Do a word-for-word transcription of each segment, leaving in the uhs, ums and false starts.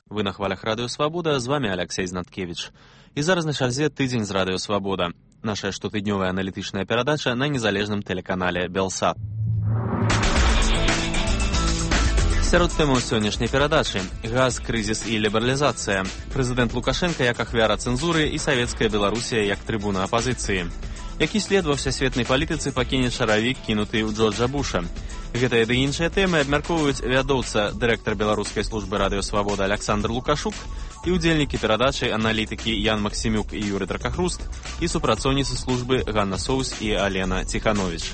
Вы на хвалях Радыё Свабода, з вами Алексей Знаткевич. І зараз на чарзе тыдзень з Радыё Свабода. Наша штотыднёвая аналітычная перадача на незалежным тэлеканале Белсат. Сярод тэмаў сённяшняй перадачы газ, крызіс і лібералізацыя. Прэзідэнт Лукашенка як ахвяра цэнзуры і савецкая Беларусія як трыбуна апазіцыі. Які след ва всесветнай палітыцы пакіне чаравік, кінуты ў Джорджа Буша. Гэтыя ды іншыя тэмы абмяркоўваюць вядоўца, дырэктар беларускай службы Радыё Свабода Александр Лукашук і ўдзельнікі перадачы аналітыкі Ян Максімюк і Юрый Дракахруст і супрацоўніцы службы Ганна Соус і Алена Ціханович.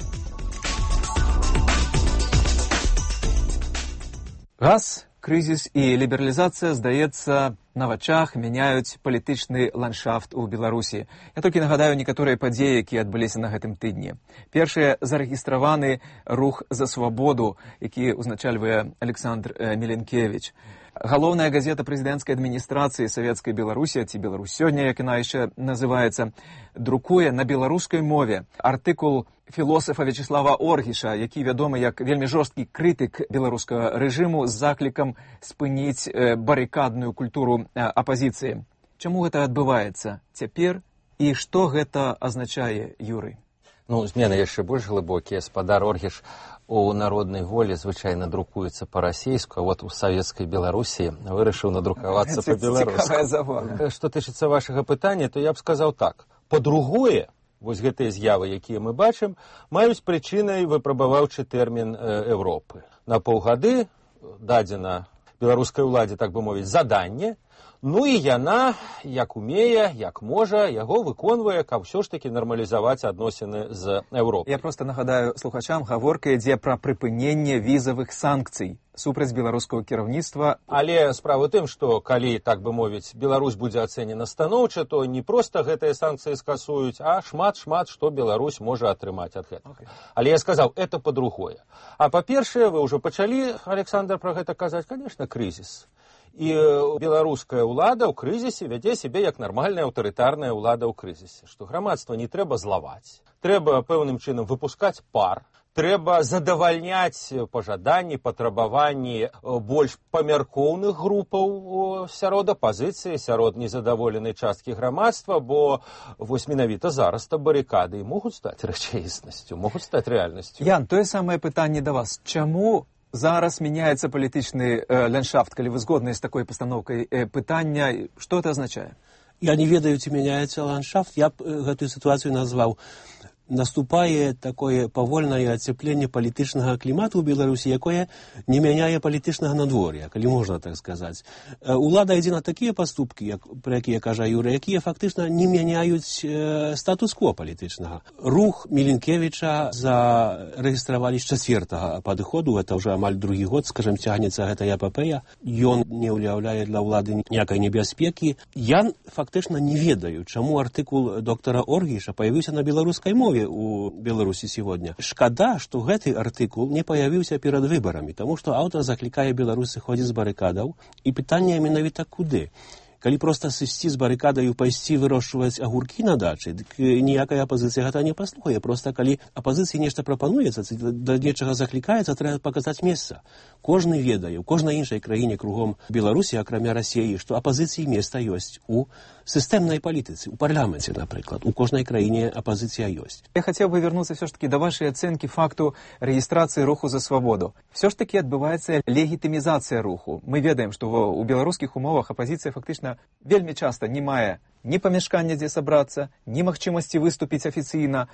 Газ, крызіс і лібералізацыя, здаецца, на вачах мяняюць палітычны ландшафт у Беларусі. Я толькі нагадаю некаторыя падзеі, якія адбыліся на гэтым тыдні. Першыя зарэгістраваны рух за свабоду, які ўзначальвае Александр Меленкевич. Галоўная газета прэзідэнцкай адміністрацыі Савецкай Беларусі, ці Беларусь сёння, як яна яшчэ называецца, друкуе на беларускай мове артыкул філосафа Вячеслава Оргіша, які вядомы як вельмі жорсткі крытык беларускага рэжыму з заклікам спыніць барыкадную культуру апазіцыі. Чаму гэта адбываецца цяпер і што гэта азначае, Юрый? Ну, змены яшчэ больш глыбокія. Спадар Оргіш у народнай волі звычайна друкуецца па-расейску, а вот у савецкай Беларусі вырашыў надрукавацца па-беларуску. Што тычыцца вашага пытання, то я б сказаў так. Па-другое, вось гэтыя з'явы, якія мы бачым, маюць прычынай выпрабаваўчы тэрмін Европы. На паўгады дадзена беларускай уладзе, так бы мовіць, заданне, ну і яна, як умее, як можа, яго выконвае, каб ўсё ж такі нармалізаваць адносіны з Европай. Я проста нагадаю слухачам, гаворка ідзе пра прыпыненне візавых санкцый супраць беларускага кіраўніцтва. Але справа ў тым, што калі, так бы мовіць, Беларусь будзе ацэнена станоўча, то не проста гэтыя санкцыі скасуюць, а шмат-шмат, што Беларусь можа атрымаць ад гэтага. Okay. Але я сказаў, это па-другое. А па-першае, вы ўжо пачалі, Александр, пра гэта казаць, конечно, крызіс. І беларуская ўлада ў крызісе вядзе сябе як нармальная аўтарытарная ўлада ў крызісе, што грамадства не трэба злаваць, трэба пэўным чынам выпускаць пар, трэба задавальняць пажаданні, патрабаванні больш памяркоўных групаў сярод апазіцыі, сярод незадаволенай часткі грамадства, бо вось менавіта зараз-то барыкады могуць стаць рэчаіснасцю, могуць стаць рэальнасцю. Ян, тое самае пытанне да вас. Чаму зараз мяняецца палітычны э, ландшафт, калі вы згодныя з такой пастаноўкай э, пытання, што это азначае? Я не ведаю, ці мяняецца ландшафт. Я б э, гэтую сітуацыю назваў. Наступае такое павольнае ацепленне палітычнага клімату ў Беларусі, якое не мяняе палітычнага надвор'я, калі можна так сказаць. Улада ідзе на такія паступкі, як, пра якія кажа Юра, якія фактычна не мяняюць э, статус-кво палітычнага. Рух Меленкевіча зарэгістравалі з чацвертага падыходу, гэта ўжо амаль другі год, скажем, цягнецца гэта эпапея. Ён не ўяўляе для ўлады ніякай небяспекі. Я фактычна не ведаю, чаму артыкул доктара Оргіша паявіўся на беларускай мове у Беларусі сегодня. Шкада, што гэты артыкул не паявіўся перад выбарамі, таму што аўтар заклікае Беларусь сыходзіць з барыкадаў, і пытанне менавіта куды. Калі проста сысці з барыкадаю, пайсці вырошчваць агуркі на дачы, дык ніякая апазіцыя гэта не паслухае. Проста калі апазіцыі нешта прапануецца, да нечага заклікаецца, трэба паказаць месца. Кожны ведае, у кожнай іншай краіне кругом Беларусі, акрамя Расіі, што апазіцыі месца ёсць у сістэмнай палітыцы, у парламенце, напрыклад. У кожнай краіне апазіцыя ёсць. Я хацеў бы вярнуцца все ж таки да вашай ацэнкі факту рэгістрацыі руху за свабоду. Все ж таки адбываецца легітымізацыя руху. Мы ведаем, што у беларускіх умовах апазіцыя фактычна вельмі часта не мае ні памяшкання, дзе сабрацца, ні магчымасці выступіць афіцыйна.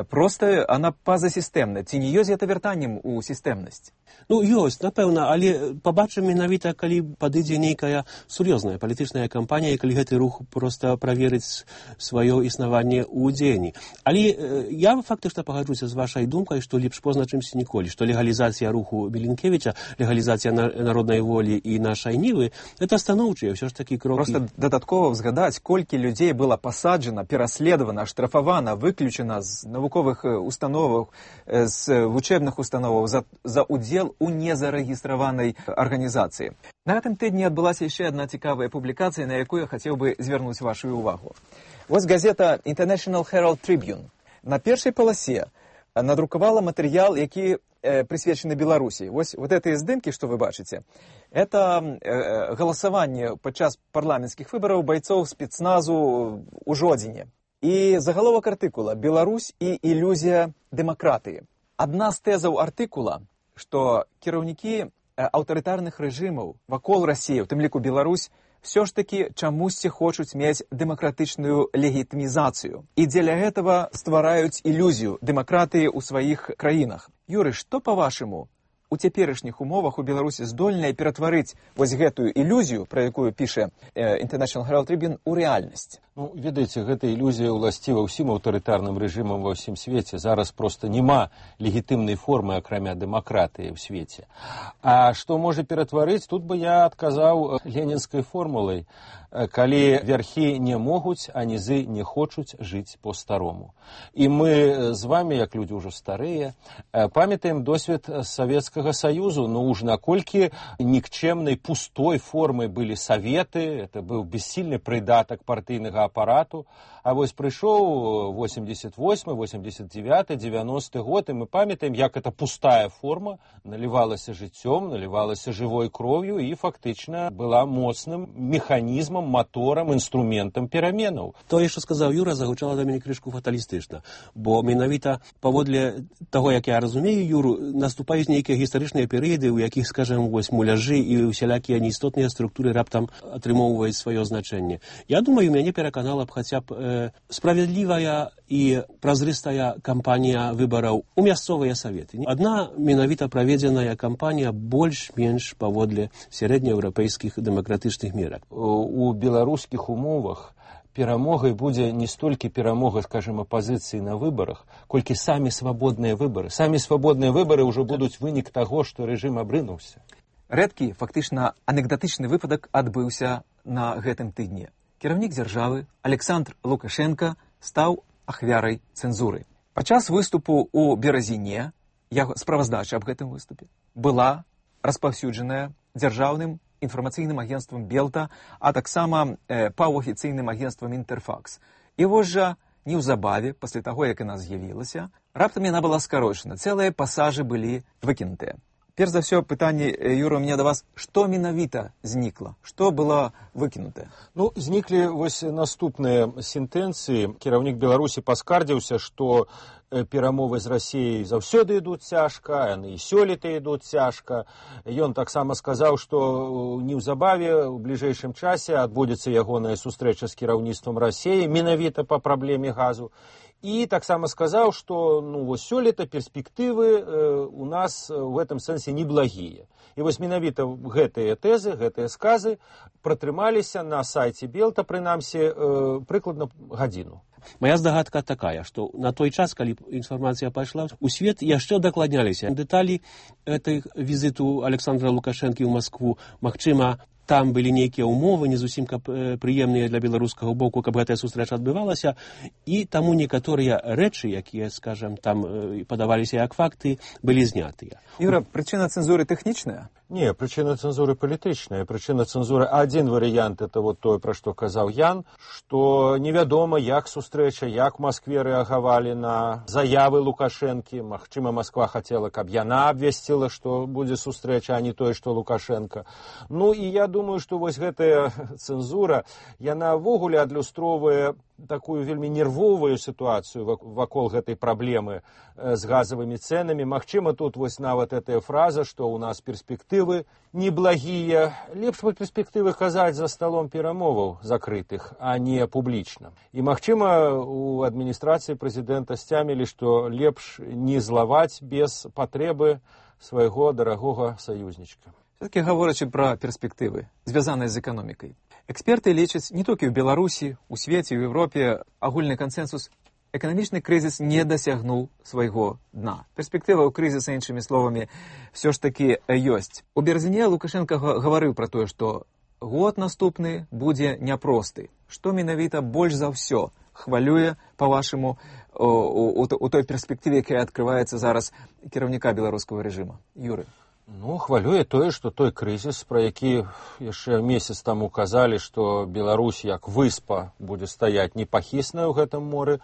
Проста она пазасістэмна. Ці не ёсць гэта вяртаннем у сістэмнасць? Ну, ёсць, напэўна, але пабачым менавіта, калі падыдзе нейкая сур'ёзная палітычная кампанія, і калі гэты рух проста праверыць сваё існаванне ў дзеянні. Але э, я фактычна пагаджуся з вашай думкай, што лепш позна, чымсьці ніколі, што легалізацыя руху Меленкевіча, легалізацыя на, народнай волі і нашай нівы, гэта станоўчыя ўсё ж такі крокі. Проста дадаткова згадаць, колькі людей было посаджено, пераследовано, штрафовано, выключено з навуковых установаў, з вучэбных установаў за, за удзел у незарэгістраванай арганізацыі. На гэтым тыдні адбылася яшчэ адна цікавая публікацыя, на якую я хацеў бы звярнуць вашу увагу. Вось газета International Herald Tribune на першай паласе надрукавала матэрыял, які э, присвечены Беларуси. Вот, вот эти здымки, что вы бачите, это э, голосование подчас парламентских выборов бойцов спецназу у Жодине. И заголовок артикула «Беларусь и иллюзия демократии». Одна з тезаў артикула, что кіраўнікі аўтарытарных рэжымаў вакол России, у тым ліку Беларусь, все ж таки чамусьці хочуць мець дэмакратычную легітымізацыю. І дзеля гэтага ствараюць ілюзію дэмакратыі ў сваіх краінах. Юры, што, па-вашаму, у цяперашніх умовах у Беларусі здольная ператварыць вось гэтую ілюзію, пра якую піша э, International Herald Tribune, у рэальнасць? Ну, ведаеце, гэта ілюзія ўласціва ўсім аўтарытарным рэжымам ва ўсім свеце. Зараз проста няма легітымнай формы, акрамя дэмакратыі ў свеце. А што можа ператварыць, тут бы я адказаў ленінскай формулай, калі вярхі не могуць, а нізы не хочуць жыць по-старому. І мы з вами, як людзі ўжо старыя, памятаем досвед Савецкага Саюзу, ну уж наколькі нікчэмнай пустой формай былі саветы, это быў бессільны прыдатак партыйнага апарату, а вось прыйшоў восемьдесят восьмы, восемьдесят девяты, девяносты год, і мы памятаем, як эта пустая форма налівалася жыццём, налівалася жывой кроўю і фактычна была моцным механізмам, моторам, інструментам пераменаў. Тое, што сказаў Юра, загучала да мяне крышку фаталістычна, бо менавіта паводле таго, як я разумею Юру, наступаюць нейкія гістарычныя перыяды, у якіх, скажем, вось муляжы і усялякія неістотныя структуры раптам атрымоўваюць сваё значэнне. Я думаю, мяне пераканала б хаця б э, справядлівая і празрыстая кампанія выбараў у мясцовыя саветы. Адна менавіта праведзеная кампанія больш-менш паводле сярэднееўрапейскіх дэмакратычных мерак. У беларускіх умовах перамогай будзе не столькі перамога, скажем, апазіцыі на выбарах, колькі самі свабодныя выбары. Самі свабодныя выбары ўжо будуць вынік таго, што рэжым абрынуўся. Рэдкі, фактычна анекдатычны выпадак адбыўся на гэтым тыдні. Кіраўнік дзяржавы Александр Лукашенко стаў ахвярай цэнзуры. Падчас выступу ў Беразіне, яго справаздача аб гэтым выступе, была распаўсюджаная дзяржаўным інфармацыйным агенствам Белта, а таксама э, паўафіцыйным агенствам Інтэрфакс. І вось жа неўзабаве, пасля таго, як яна з'явілася, раптам яна была скарочана. Цэлыя пасажы былі выкінутыя. Перш за ўсё, пытанне, Юра, у меня да вас, што менавіта знікла? Што было выкінутае? Ну, зніклі вось наступныя сентэнцыі. Кіраўнік Беларусі паскардзіўся, што перамовы з Расіяй заўсёды ідуць цяжка, яны і сёлета ідуць цяжка. Ён таксама сказаў, што неўзабаве у бліжэйшым часе адбудзецца ягоная сустрэча з кіраўніцтвам Расіі менавіта па праблеме газу. І таксама сказаў, што ну, вось сёлета перспектывы э, у нас в гэтым сэнсе неблагія. І вось менавіта гэтыя тэзы, гэтыя сказы пратрымаліся на сайце Белта, прынамсі, э, прыкладна гадзіну. Моя здагадка такая, што на той час, калі інфармацыя пайшла, у свет яшчэ дакладняліся дэталі гэтых візіту Александра Лукашэнкі ў Маскву. Магчыма, там былі нейкія ўмовы, не зусім прыемныя для беларускага боку, каб гэтая сустрэча адбывалася, і таму некаторыя рэчы, якія, скажам, там падаваліся як факты, былі знятыя. Юра, прычына цэнзуры тэхнічная? Не, прычына цэнзуры палітычная. Прычына цэнзуры, адзін варыянт, это вот тое, пра што казаў Ян, што невядома, як сустрэча, як в Маскве рэагавалі на заявы Лукашэнкі. Магчыма, Масква хацела, каб яна абвясціла, што будзе сустрэча, а не тое, што Лукашенко. Ну, і я думаю, што вось гэтая цэнзура, яна ўвогуле адлюстроўвае такую вельмі нервовую сітуацыю вакол гэтай праблемы з газавымі цэнамі. Магчыма, тут вось нават гэтая фраза, што ў нас перспектывы неблагія. Лепш бы перспектывы казаць за сталом перамоваў закрытых, а не публічна. І магчыма, у адміністрацыі прэзідэнта сцямілі, што лепш не злаваць без патрэбы свайго дарагога саюзнічка. Все-таки гаворачы пра перспектывы, звязаныя з эканомікай. Эксперты лічаць не толькі ў Беларусі, у свеце, у Европе агульны кансенсус, эканамічны крызіс не дасягнуў свайго дна. Перспектыва ў крызіса, іншымі словамі, все ж такі ёсць. У Беразіне Лукашенко гаварыў пра тое, што год наступны будзе няпросты. Што менавіта больш за ўсё хвалюе, па-вашаму, у, у, у той перспектыве, якая адкрываецца зараз кіраўніка беларускага рэжыма? Юры. Ну, хвалюе тое, што той крызіс, пра які яшчэ месяц таму казалі, што Беларусь як выспа будзе стаяць непахісная ў гэтым моры,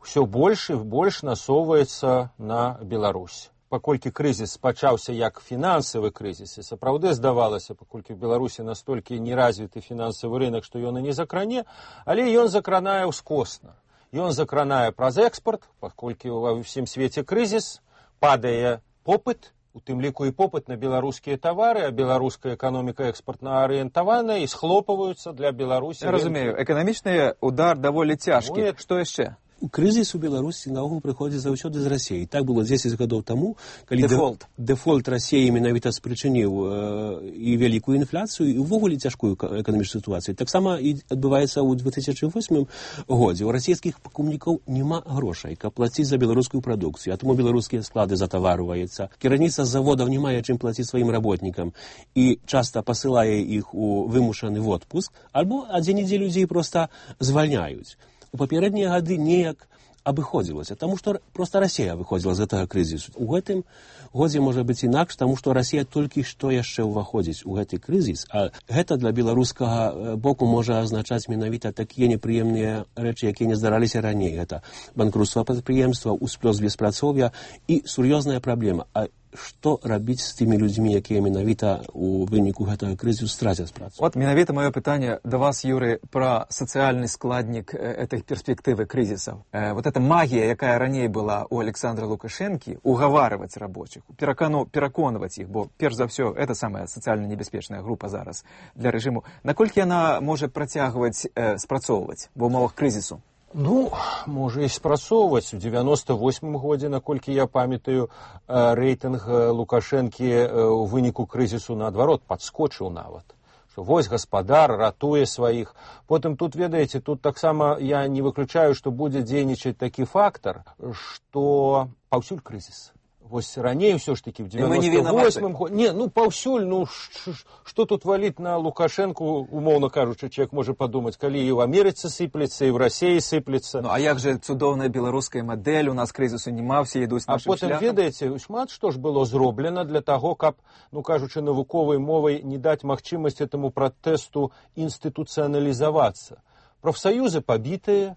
ўсё больш і больш насоўваецца на Беларусь. паколькі крызіс пачаўся як фінансавы крызіс, і сапраўды здавалася, паколькі в Беларусі настолькі неразвіты фінансавы рынок, што ён і не закране, але ён закранае ўскосна. Ён закранае праз экспорт, паколькі ва ўсім свеце крызіс, падае попыт, у тым ліку і попыт на беларускія тавары, а беларуская эканоміка экспартна арыентаваная і схлопваюцца для Беларусі. Я разумею, эканамічны удар даволі цяжкі. Ну, што яшчэ? Крызіс у Беларусі наогул прыходзіць заўсёды з Расіі. Так было дзесяць гадоў таму, калі дэфолт, дэфолт Расіі менавіта спрычыніў э, і вялікую інфляцыю, і ўвогуле цяжкую эканамічную сітуацыю. Таксама і адбываецца ў две тысячы восьмым годзе. У расійскіх пакупнікаў няма грошай, каб плаціць за беларускую прадукцыю, а таму беларускія склады затаварваюцца. Кіраўніцтва заводаў не мае чым плаціць сваім работнікам і часта пасылае іх у вымушаны в отпуск, альбо адзін-дзе людзей проста звальняюць. У папярэднія гады неяк абыходзілася, таму што проста Расія выходзіла з гэтага крызісу. У гэтым годзе можа быць інакш, таму што Расія толькі што яшчэ ўваходзіць у гэты крызіс, а гэта для беларускага боку можа азначаць менавіта такія непрыемныя рэчы, якія не здараліся раней. Гэта банкруцтва прадпрыемства, усплёс беспрацоўя і сур'ёзная праблема. А што рабіць з тымі людзьмі, якія менавіта у выніку гэтага крызісу страцяць працу? Вот менавіта маё пытанне да вас, Юрый, пра сацыяльны складнік этой перспектывы крызісаў. Э, вот эта магія, якая раней была у Александра Лукашэнкі, угаварваць рабочих, перакану, пераконваць іх, бо перш за ўсё это самая сацыяльна небяспечная група зараз для рэжыму. Наколькі яна можа працягваць э, спрацоўваць ва ўмовах крызісу? Ну, можа і спрацоўваць. У дзевяноста восьмым годзе, наколькі я памятаю, рэйтынг Лукашэнкі у выніку крызісу наадварот падскочыў нават. Што вось гаспадар ратуе сваіх. Потым тут, ведаеце, тут таксама я не выключаю, што будзе дзейнічаць такі фактар, што паўсюль крызіс. Вось раней ўсё ж такі в дзевяноста восьмым годзе. Не, ну паўсюль, ну што тут валіць на Лукашэнку, умоўна кажучы, чалавек можа падумаць, калі і ў Амерыцы сыплецца, і ў Расіі сыплецца. Ну а як жа цудоўная беларуская мадэль, у нас крызісу няма, все ідуць нашым шляхам. А потым, ведаеце, шмат што ж было зроблена для таго, каб, ну кажучы навуковай мовай, не даць магчымасць этаму пратэсту інстытуцыяналізавацца. Прафсаюзы пабітыя,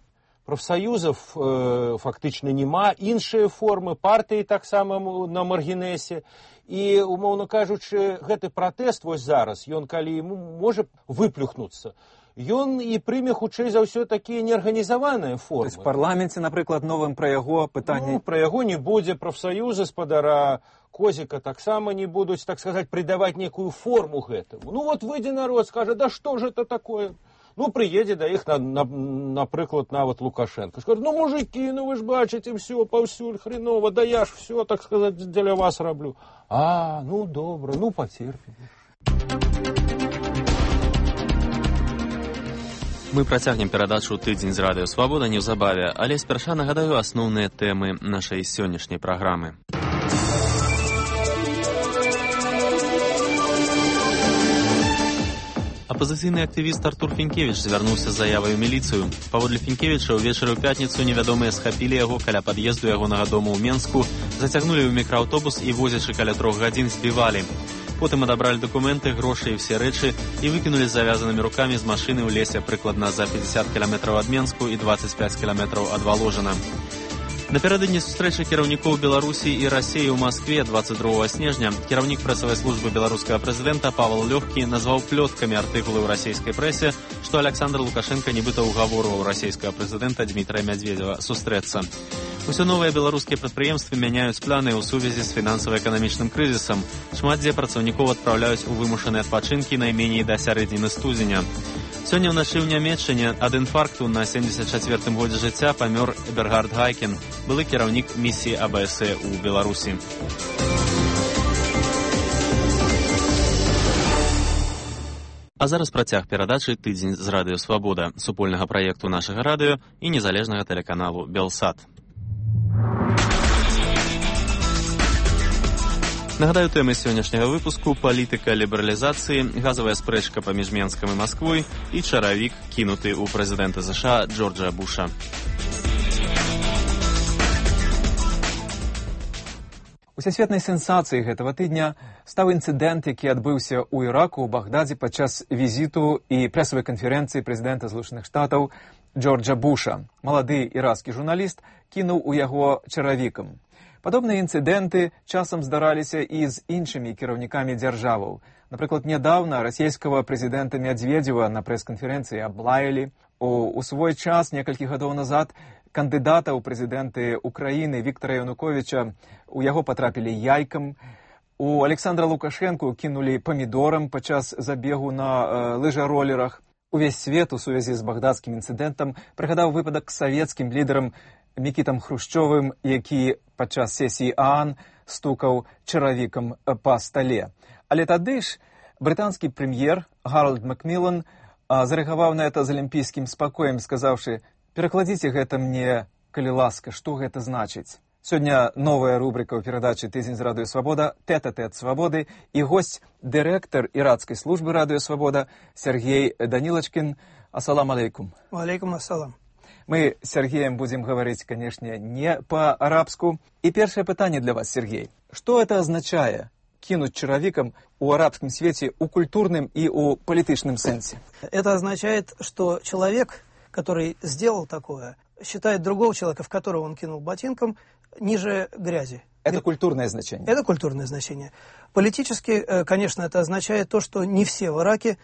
профсоюзов э, фактычна няма, іншыя формы, партыі таксама на маргінэсе. І, умоўна кажучы, гэты пратэст вось зараз, ён калі можа выплюхнуцца, ён і прыме хутчэй за ўсё такія неарганізаваныя формы. В парламенце, напрыклад, новым пра яго пытанне... Ну, пра яго не будзе, прафсаюзы спадара Козіка таксама не будуць, так сказаць, придаваць некую форму гэтаму. Ну вот выйдзе народ, скажа, да што ж это такое? Ну, прыедзе да іх, на, на, напрыклад, нават Лукашенко. Скажу, ну, мужики, ну вы ж бачыце, все, паўсюль, хреново, да я ж все, так сказать, дзеля вас раблю. А, ну, добра, ну, пацерпім. Мы працягнем перадачу «Тыдзень з радыё Свабода» неўзабаве, але спярша нагадаю асноўныя тэмы нашай сённяшняй праграмы. Апазіцыйны актывіст Артур Фінкевіч звярнуўся з заявай у міліцыю. Паводле Фінкевіча, ўвечары ў пятніцу невядомыя схапілі яго каля пад'езду ягонага дому ў Менску, зацягнулі ў мікрааўтобус і, возячы каля трох гадзін, збівалі. Потым адабралі дакументы, грошы і ўсе рэчы і выкінулі з завязанымі рукамі з машыны ў лесе прыкладна за пятьдесят кіламетраў ад Менску і двадцать пять кіламетраў ад Валожына. Напярэдадні сустрэчы кіраўнікоў Беларусі і Расіі ў Маскве двадцать другога снежня кіраўнік прэсавай службы беларускага прэзідэнта Павел Лёгкі назваў плёткамі артыкулы ў расійскай прэсе, што Александр Лукашенко нібыта ўгаворваў расійскага прэзідэнта Дмітрая Мядзведзева сустрэцца. Усё новыя беларускія прадпрыемствы мяняюць планы ў сувязі з фінансава-эканамічным крызісам. Шмат дзе працаўнікоў адпраўляюць у вымушаныя адпачынкі найменей да сярэдзіны студзеня. Сёння ўначы ў Нямецчыне ад інфаркту на семьдесят чацвёртым годзе жыцця памёр Эбергард Гайкен, былы кіраўнік місіі А Бэ Эс Э ў Беларусі. А зараз працяг перадачы «Тыдзень з радыё Свабода», супольнага праекту нашага радыё і незалежнага тэлеканалу «Белсат». Нагадаю, тэмы сённяшняга выпуску – палітыка лібералізацыі, газавая спрэчка паміж Менскам і Масквой і чаравік, кінуты ў прэзідэнта США Джорджа Буша. Усесветнай сенсацыяй гэтага тыдня стаў інцыдэнт, які адбыўся ў Іраку, у Багдадзе падчас візіту і прэсавай канферэнцыі прэзідэнта Злучаных Штатаў Джорджа Буша. Малады ірацкі журналіст кінуў у яго чаравікам. Падобныя інцыдэнты часам здараліся і з іншымі кіраўнікамі дзяржаваў. Напрыклад, нядаўна расійскага прэзідэнта Мядзведзева на прэс-канферэнцыі аблаялі. У, у свой час, некалькі гадоў назад, кандыдата ў прэзідэнты Украіны Віктара Януковіча у яго патрапілі яйкам. У Александра Лукашэнку кінулі памідорам падчас забегу на э, лыжаролерах. Увесь свет у сувязі з багдадскім інцыдэнтам прыгадаў выпадак з савецкім лідарам Мікітам Хрушчовым, які падчас сесіі ААН стукаў чаравікам па стале. Але тады ж брытанскі прэм'ер Гарольд Макмілан зарэагаваў на это з алімпійскім спакоем, сказаўшы: «Перакладзіце гэта мне, калі ласка, што гэта значыць?» Сёння новая рубрика ў перадачы «Тыдзень з Радыё Свабода» «Тэт-а-тэт Свабоды» і госць, дырэктар ірацкай службы Радыё Свабода Сергей Данилочкин. Ассалам алейкум. Алейкум ассалам. Мы с Сергеем будем говорить, конечно, не по-арабску. И первое питание для вас, Сергей. Что это означает кинуть чаровиком у арабском свете, у культурном и у политичном сенсе? Это означает, что человек, который сделал такое, считает другого человека, в которого он кинул ботинком, ниже грязи. Это культурное значение? Это культурное значение. Политически, конечно, это означает то, что не все в Ираке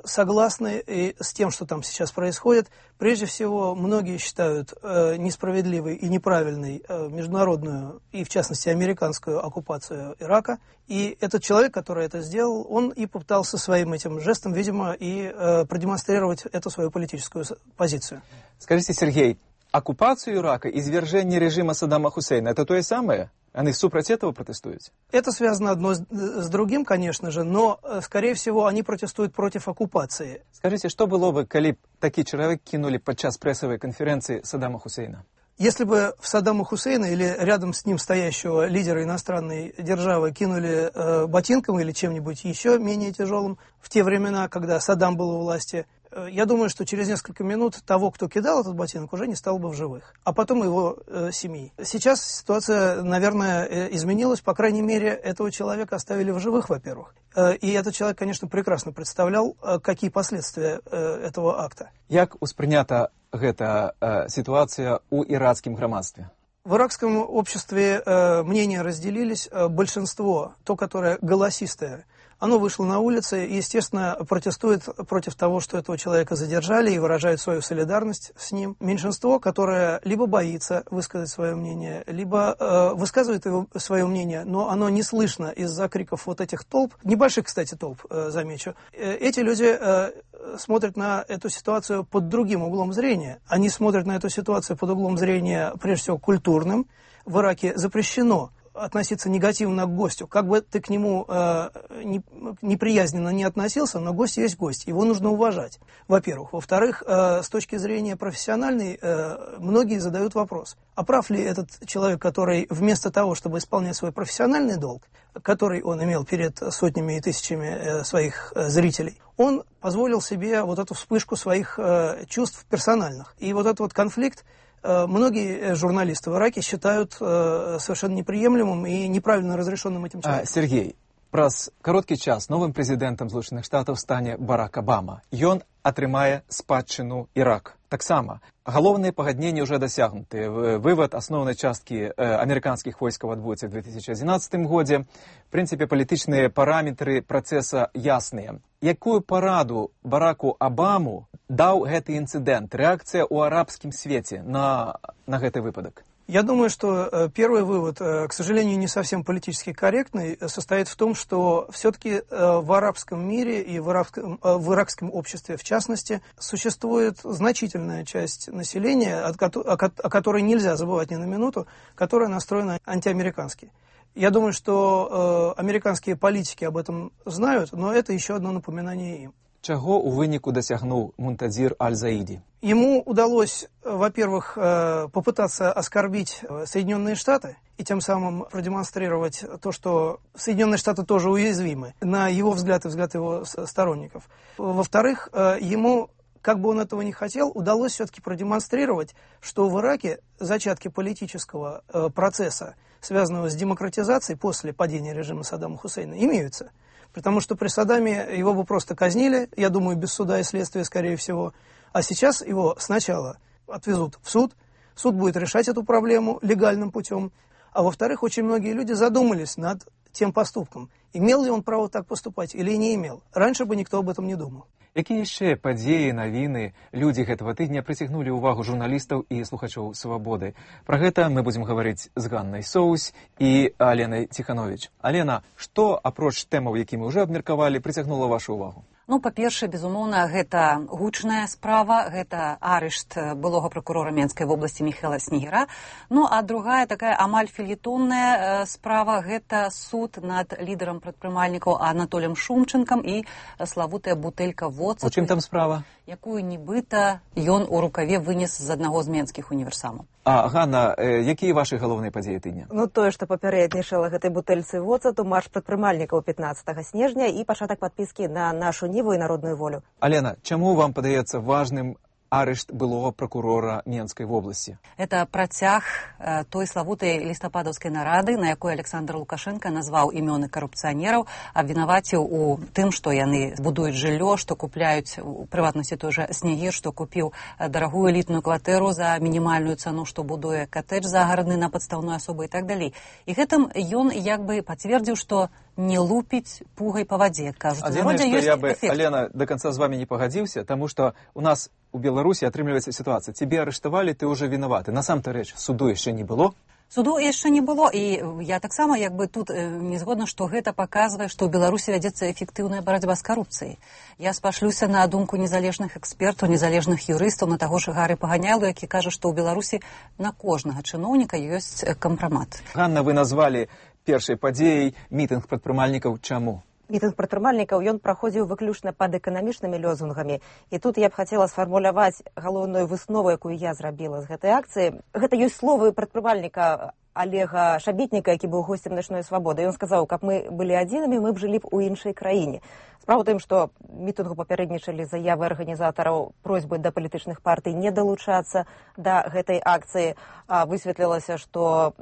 согласны и с тем, что там сейчас происходит. Прежде всего, многие считают э, несправедливой и неправильной э, международную и, в частности, американскую оккупацию Ирака. И этот человек, который это сделал, он и попытался своим этим жестом, видимо, и э, продемонстрировать эту свою политическую позицию. Скажите, Сергей, оккупацию Ирака, извержение режима Саддама Хусейна – это то и самое? Они супротив этого протестуют? Это связано одно с, с другим, конечно же, но, скорее всего, они протестуют против оккупации. Скажите, что было бы, коли б такие человек кинули подчас прессовой конференции Саддама Хусейна? Если бы в Саддама Хусейна или рядом с ним стоящего лидера иностранной державы кинули э, ботинком или чем-нибудь еще менее тяжелым, в те времена, когда Саддам был у власти, э, я думаю, что через несколько минут того, кто кидал этот ботинок, уже не стал бы в живых, а потом его э, семьи. Сейчас ситуация, наверное, э, изменилась, по крайней мере, этого человека оставили в живых, во-первых. Э, и этот человек, конечно, прекрасно представлял, э, какие последствия э, этого акта. Як успрынята гэта э, ситуация у иракском громадстве? В иракском обществе э, мнения разделились. Э, большинство, то, которое голосистое, оно вышло на улицы и, естественно, протестует против того, что этого человека задержали, и выражает свою солидарность с ним. Меньшинство, которое либо боится высказать свое мнение, либо э, высказывает его, свое мнение, но оно не слышно из-за криков вот этих толп, небольших, кстати, толп, э, замечу. Э, эти люди э, смотрят на эту ситуацию под другим углом зрения. Они смотрят на эту ситуацию под углом зрения, прежде всего, культурным. В Ираке запрещено относиться негативно к гостю. Как бы ты к нему э, не, неприязненно не относился, но гость есть гость. Его нужно уважать, во-первых. Во-вторых, э, с точки зрения профессиональной, э, многие задают вопрос, а прав ли этот человек, который вместо того, чтобы исполнять свой профессиональный долг, который он имел перед сотнями и тысячами э, своих э, зрителей, он позволил себе вот эту вспышку своих э, чувств персональных. И вот этот вот конфликт многие журналисты в Ираке считают э, совершенно неприемлемым и неправильно разрешенным этим человеком. А, Сергей, праз короткі час новым прэзідэнтам Злучаных Штатаў стане Барак Обама. Ён атрымае спадчыну Ірак. Таксама галоўныя пагадненні ўжо дасягнуты. Вывод асноўнай часткі амерыканскіх войскаў адбудзецца ў две тысячи одиннадцатым годзе. В прынцыпе, палітычныя параметры працэса ясныя. Якую параду Бараку Обаму даў гэты інцыдэнт, рэакцыя ў арабскім свеце на, на гэты выпадак? Я думаю, что э, первый вывод, э, к сожалению, не совсем политически корректный, состоит в том, что все-таки э, в арабском мире и в арабском, э, в иракском обществе, в частности, существует значительная часть населения, от, о, о которой нельзя забывать ни на минуту, которая настроена антиамерикански. Я думаю, что э, американские политики об этом знают, но это еще одно напоминание им. Чаго у выніку дасягнуў Мунтазир Аль-Заиди? Ему удалось, во-первых, попытаться оскорбить Соединенные Штаты и тем самым продемонстрировать то, что Соединенные Штаты тоже уязвимы, на его взгляд и взгляд его сторонников. Во-вторых, ему, как бы он этого не хотел, удалось все-таки продемонстрировать, что в Ираке зачатки политического процесса, связанного с демократизацией после падения режима Саддама Хусейна, имеются. Потому что при Саддаме его бы просто казнили, я думаю, без суда и следствия, скорее всего. А сейчас его сначала отвезут в суд, суд будет решать эту проблему легальным путем, А во-вторых, очень многие люди задумались над тем поступком. Имел ли он право так поступать или не имел? Раньше бы никто об этом не думал. Якія яшчэ падзеі, навіны, людзі гэтага тыдня прыцягнулі ўвагу журналістаў і слухачоў «Свабоды»? Пра гэта мы будзем гаварыць з Ганнай Соусь і Аленай Ціхановіч. Алена, што, апроч тэмаў, які мы ўжо абмеркавалі, прыцягнула вашу ўвагу? Ну, па-першае, безумоўна, гэта гучная справа, гэта арышт былога прокурора Менскай вобласці Міхаэла Снегіра. Ну, а другая такая амаль фельетонная справа, гэта суд над лідарам прадпрымальнікаў Анатоліем Шумчанкам і славутая бутэлька воцату. У чым там справа? Якую нібыта ён у рукаве вынес з аднаго з менскіх універсамаў. А, Ганна, э, якія вашы галоўныя падзеі тыдня? Ну, тое, што папярэднічала гэтай бутэльцы воцату, марш прадпрымальнікаў пятнаццатага снежня і пачатак падпіскі на нашу Ніву і народную волю. Алена, чаму вам падаецца важным арышт былого прокурора Менскай вобласці? Это працяг э, той славутай лістападаўскай нарады, на якой Александр Лукашенко назваў імёны карупцыянераў, абвінаваціў у тым, што яны будуюць жыллё, што купляюць, у прыватнасці той жа Снегір, што купіў дарагую элітную кватэру за мінімальную цану, што будуе катэдж загарадны на падстаўной асобы і так далей. І гэтым ён як бы пацвердзіў, што не лупіць пугай па вадзе, кажуць. Адзінае, што я бы, Алена, до конца з вами не пагадзіўся, таму што у нас у Беларусі атрымліваецца сітуацыя. Цябе арыштавалі, ты ўжо вінаваты. Насам-то рэч, суду яшчэ не было? Суду яшчэ не было, і я таксама як бы тут не згодна, што гэта паказвае, што ў Беларусі вядзецца эфектыўная барацьба з карупцыяй. Я спашлюся на думку незалежных экспертаў, незалежных юрыстаў, на таго ж Гары Паганялу, які кажа, што ў Беларусі на кожнага чыноўніка ёсць кампрамат. Ганна, вы назвалі першай падзеяй мітынг прадпрымальнікаў. Чаму? Мітынг прадпрымальнікаў ён праходзіў выключна пад эканамічнымі лозунгамі. І тут я б хацела сфармуляваць галоўную выснову, якую я зрабіла з гэтай акцыі. Гэта ёсць словы прадпрымальніка Олега Шабетніка, які быў госцем начной свабоды. Ён сказаў, каб мы былі адзінымі, мы б жылі б у іншай краіне. Справа ў тым, што мітынгу папярэднічалі заявы арганізатараў просьбы да палітычных партый не далучацца да гэтай акцыі. Высветлілася, што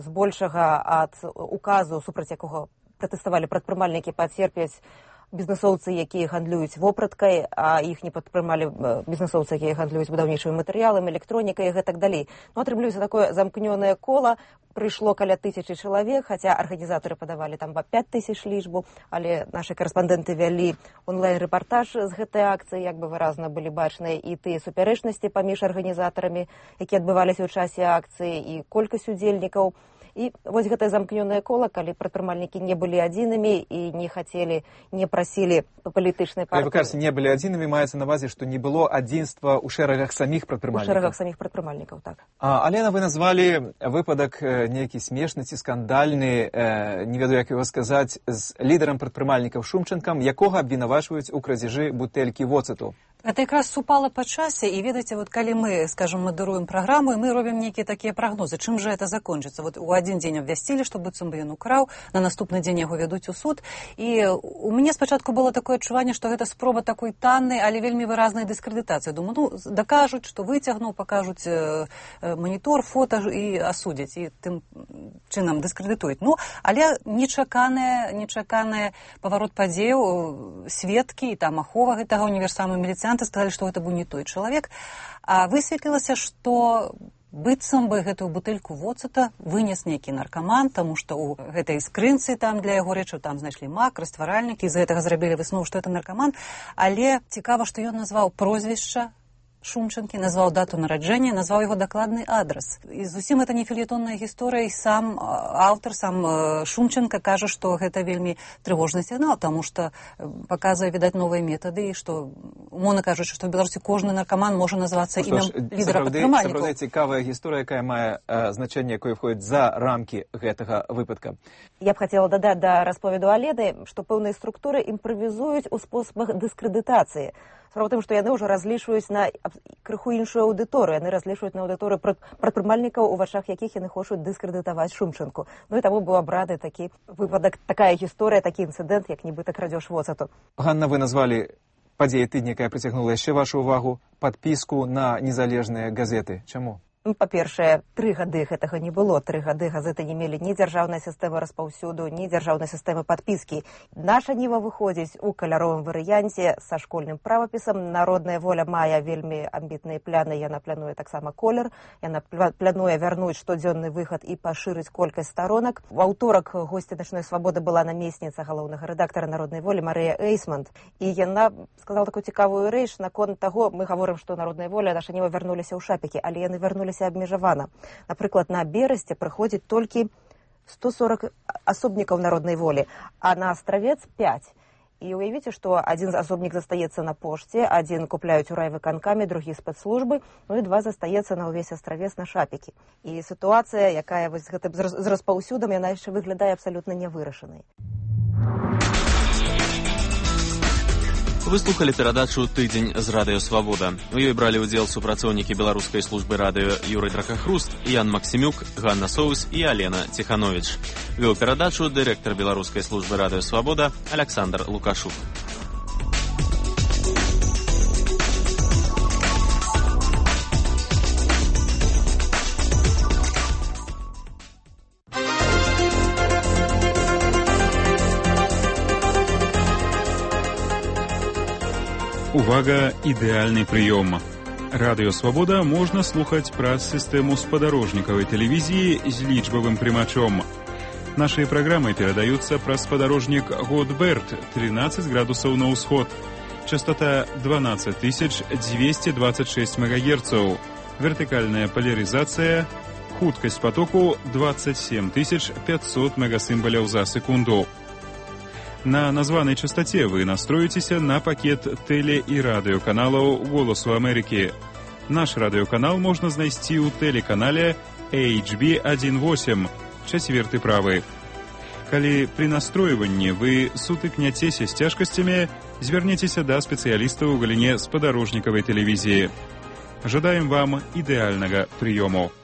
збольшага ад указу, супраць якога пратэставалі прадпрымальнікі, пацерпяць бізнесоўцы, якія гандлююць вопраткай, а іх не падтрымалі бізнесоўцы, якія гандлююць будаўнічымі матэрыяламі, электронікай і гэтак далей. Ну, атрымліваецца такое замкнёнае кола. Прыйшло каля тысячы чалавек, хаця арганізатары падавалі там па пяць тысяч лічбу, але нашы карэспандэнты вялі онлайн-рэпартаж з гэтай акцыі, як бы выразна былі бачныя і тыя супярэчнасці паміж арганізатарамі, якія адбываліся ў часе акцыі, і колькасць удзельнікаў. І вось гэтае замкнёнае кола, калі прадпрымальнікі не былі адзінымі і не хацелі, не прасілі палітычнай партыі. Вы кажаце, не былі адзінымі, маецца на ўвазе, што не было адзінства ў шэрагах саміх прадпрымальнікаў. У шэрагах саміх прадпрымальнікаў, так. А, Алена, вы назвалі выпадак нейкі смешны ці скандальны, э, не ведаю, як яго сказаць, з лідарам прадпрымальнікаў Шумчанкам, якога абвінавачваюць у крадзяжы бутэлькі воцату. Это якраз супала па часе, і ведаеце, вот калі мы, скажем, мадыруем праграму, і мы робім нейкія такія прагнозы, чым жа это закончыцца. Вот у адзін дзень абвясцілі, што быццам бы ён украў, на наступны дзень яго вядуць у суд. І у мяне спачатку было такое адчуванне, што гэта спроба такой таннай, але вельмі выразнай дыскрэдытацыі. Думаю, ну, дакажуць, што выцягнуў, пакажуць э, манітор, фота і асудзяць, і тым чынам дыскрэдытуюць. Ну, але нечаканае, нечаканае паварот падзеяў, сведкі, і там ахова гэтага універсаму міліцыянта сказалі, што гэта быў не той чалавек. А высветлілася, што быццам бы гэтую бутэльку воцата вынес нейкі наркаман, таму што ў гэтай скрынцы там для яго рэчаў там знайшлі мак, растваральнікі, з гэтага зрабілі выснову, што это наркаман. Але цікава, што ён назваў прозвішча Шумчанкі, назваў дату нараджэння, назваў яго дакладны адрас. І зусім гэта не фельетонная гісторыя, і сам аўтар, сам Шумчанка кажа, што гэта вельмі трывожны сігнал, таму што паказвае, відаць, новыя метады, і што, умоўна кажучы, што ў Беларусі кожны наркаман можа называцца імем лідара падтрымальнікаў. Сапраўды цікавая гісторыя, якая мае э, значэнне, якое входзіць за рамкі гэтага выпадка. Я б хацела дадаць да расповеду Алены, што пэўныя структуры імправізуюць у спосабах дыскрэдытацыі. Справа ў тым, што яны ўжо разлічваюць на крыху іншую аўдыторыю. Яны разлічваюць на аўдыторыю прадпрымальнікаў, у вачах якіх яны хочуць дыскрэдытаваць Шумчанку. Ну і таму быў абраны такі выпадак, такая гісторыя, такі інцыдэнт, як нібыта крадзеж воцату. Ганна, вы назвалі падзеі тыдня, якая прыцягнула яшчэ вашу ўвагу, падпіску на незалежныя газеты. Чаму? Ну, па-першае, тры гады гэтага не было. Тры гады газеты не мелі ні дзяржаўнай сістэмы распаўсюду, ні дзяржаўнай сістэмы падпіскі. Наша ніва выходзіць у каляровым варыянце са школьным правапісам. Народная воля мае вельмі амбітныя пляны, яна плануе таксама колер, яна плануе вярнуць штодзённы выхад і пашырыць колькасць старонак. У аўторак госці «Начной свабоды» была намесніца галоўнага рэдактара «Народнай волі» Марыя Эйсмонт. І яна сказала такую цікавую рэч наконт таго, мы гаворым, што «Народная воля» наша ніва вярнуліся ў шапікі, але яны вярнуліся абмежавана. Напрыклад, на Берасце прыходзіць толькі сто сорок асобнікаў народнай волі, а на Астравец пяць. І уявіце, што адзін асобнік застаецца на пошце, адзін купляюць у райвыканкаме, другі спецслужбы, ну і два застаецца на ўвесь Астравец на шапікі. І сітуацыя, якая вось з гэтым з распаўсюдам, яна яшчэ выглядае абсалютна нявырашанай. Вы слухали перадачу «Тыдзень з Радыё Свабода». У ёй бралі ўдзел супрацоўнікі беларускай службы радыё Юрый Дракахруст, Ян Максімюк, Ганна Соус і Алена Ціхановіч. Вёў перадачу дырэктар беларускай службы радыё Свабода Александр Лукашук. Увага, ідэальны прыём. Радыё Свабода можна слухаць праз сістэму спадарожнікавай тэлевізіі з лічбавым прымачом. Нашыя праграмы перадаюцца праз спадарожнік Годберт, тринадцать градусаў на ўсход. Частота дванадцать тысяч двести двадцать шесть мегагерцаў. Вертыкальная поляризация. Хуткасць потоку двадцать семь тысяч пятьсот мегасімбаляў за секунду. На названай частоте вы настроитеся на пакет теле- і радыёканалаў «Голосу Амерыкі». Наш радыёканал можна знайсці ў тэлеканале эйч би один восемь, чацверты правы. Калі пры настройванні вы сутыкняцеся з цяжкасцямі, звярніцеся да спецыялістаў у галіне спадарожнікавай тэлевізіі. Жадаем вам ідэальнага прыёму.